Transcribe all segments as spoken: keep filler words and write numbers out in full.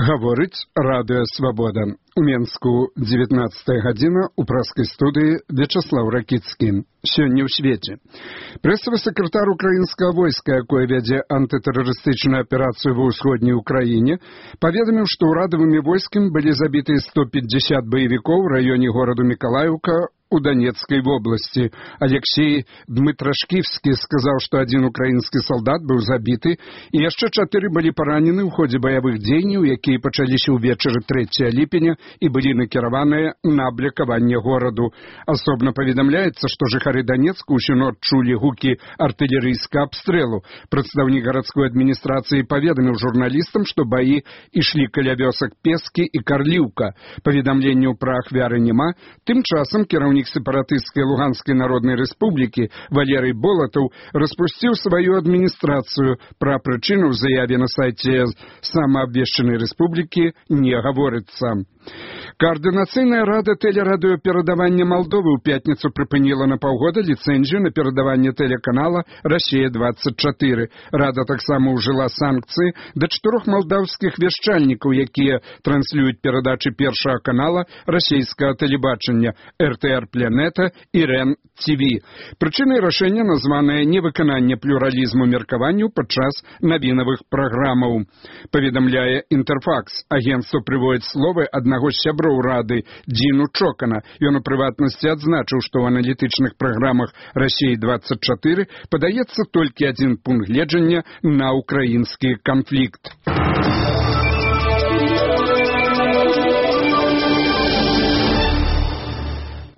Гаворыць Радыё Свабода. У Менску дзевятнаццатая гадзіна, у праскай студыі Вячаслаў Ракіцкі. Сёння ў свеце. Прэсавы сакратар украінскага войска, якое вядзе антытэрарыстычную аперацыю ва ўсходняй Украіне, паведаміў, што ўрадавымі войскамі былі забіты сто пятьдесят баевікоў у раёне гораду Мікалаіўка у Донецкой области. Алексей Дмитрашківскі сказаў, што адзін украінскі салдат быў забіты, і яшчэ чатыры былі паранены ў ходзе баявых дзеянняў, якія пачаліся ўвечары трэцяга ліпеня і былі накіраваныя на аблякаванне гораду. Асобна паведамляецца, што жыхары Донецка ўсю ноч чулі гукі артылерыйскага абстрэлу. Прадстаўнік гарадской адміністрацыі паведаміў журналістам, што баі ішлі каля вёсак Пескі і Карліўка. Паведамленняў пра ахвяры няма. Тым часам кіраўнік сепаратысцкай Луганскай Народнай Рэспублікі Валерый Болатаў распусціў сваю адміністрацыю. Пра прычыну ў заяве на сайце самаабвешчанай рэспублікі не гаворыцца. Координацыйная рада тэлерадыёперадавання Малдовы ў пятніцу прыпыніла на паўгода ліцэнзію на перадаванне тэлеканала «Россия двадцать четыре». Рада таксама ўжыла санкцыі да чатырох малдаўскіх вяшчальнікаў, якія транслююць перадачы першага канала расійскага тэлебачання эр тэ эр Планета і РЕН Т В. Прычынай рашэння названае невыкананне плюралізму меркаванняў падчас навінавых праграмаў. Паведамляе Інтэрфакс. Агентство прыводзіць словы аднаго з сяброў рады Дзіну Чокана. Ён у прыватнасці адзначыў, што ў аналітычных праграмах «Россия двадцать четыре» падаецца толькі адзін пункт гледжання на украінскі канфлікт.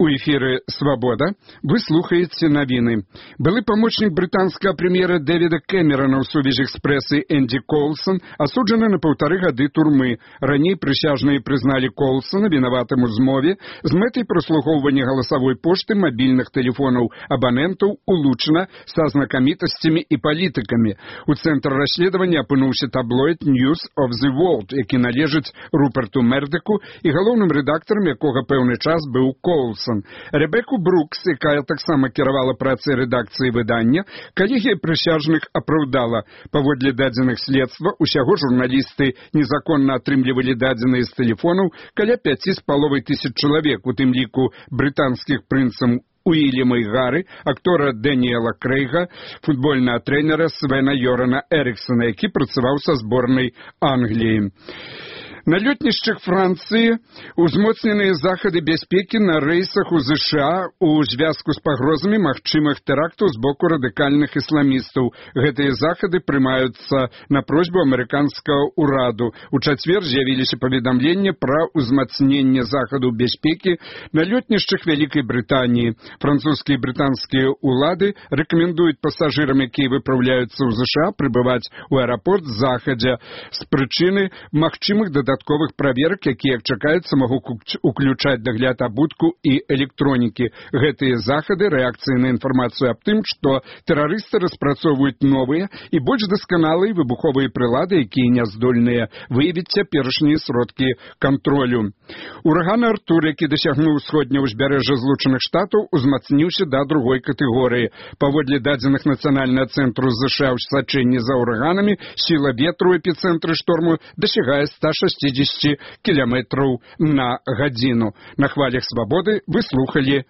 У эфіры «Свобода» вы слухаеце навіны. Былы памочнік брытанскага прэм'ера Дэвіда Кэмерона ў сувязі з прэсай Энді Коулсон асуджаны на паўтары гады турмы. Раней прысяжныя прызналі Коулсона вінаватым у змове з мэтай праслухоўвання галасавой пошты мабільных тэлефонаў абанентаў улучана са знакамітасцямі і палітыкамі. У цэнтры расследавання апынуўся таблоід News of the World, які належыць Руперту Мердыку і галоўным рэдактарам якога пэўны час быў Коулсон. Ребеку Брукс, якая таксама кіравала працай рэдакцыі выдання, калегія прысяжных апраўдала. Паводле дадзеных следства, усяго журналісты незаконна атрымлівалі дадзеныя з тэлефонаў каля пяці з паловай тысяч чалавек, у тым ліку брытанскіх прынцам Уильяма і Гары, актора Дэніела Крэйга, футбольнага трэнера Свена Йорана Эрыксона, які працаваў са зборнай Англіі. На лётнішчах Францыі узмоцненыя захады бяспекі на рэйсах у ЗША у звязку з пагрозамі магчымых тэрактаў з боку радыкальных ісламістаў. Гэтыя захады прымаюцца на просьбу амерыканскага ўраду. У чацвер з'явіліся паведамленні пра ўзмацненне захадаў бяспекі на лётнішчах Вялікай Брытаніі. Французскія і брытанскія ўлады рэкамендуюць пасажырам, якія выпраўляюцца ў ЗША, прыбываць у аэрапорт захадзя з прычыны магчымых дадатковых дадатковых праверак, якія, як чакаецца, могуць уключаць дагляд абутку і электронікі. Гэтыя захады рэакцыі на інфармацыю аб тым, што тэрарысты распрацоўваюць новыя і больш дасканалыя выбуховыя прылады, якія не здольныя выявіць цяперашнія сродкі кантролю. Ураган Артур, які дасягнуў усходняе ўзбярэжжа Злучаных Штатаў, узмацніўся да другой катэгорыі. Паводле дадзеных нацыянальнага цэнтру ЗША ў сачэнні за ураганамі, сіла ветру ў эпіцэнтры шторму дасягае ста шасцідзесяці кіламетраў на гадзіну. На хвалях Свабоды вы слухалі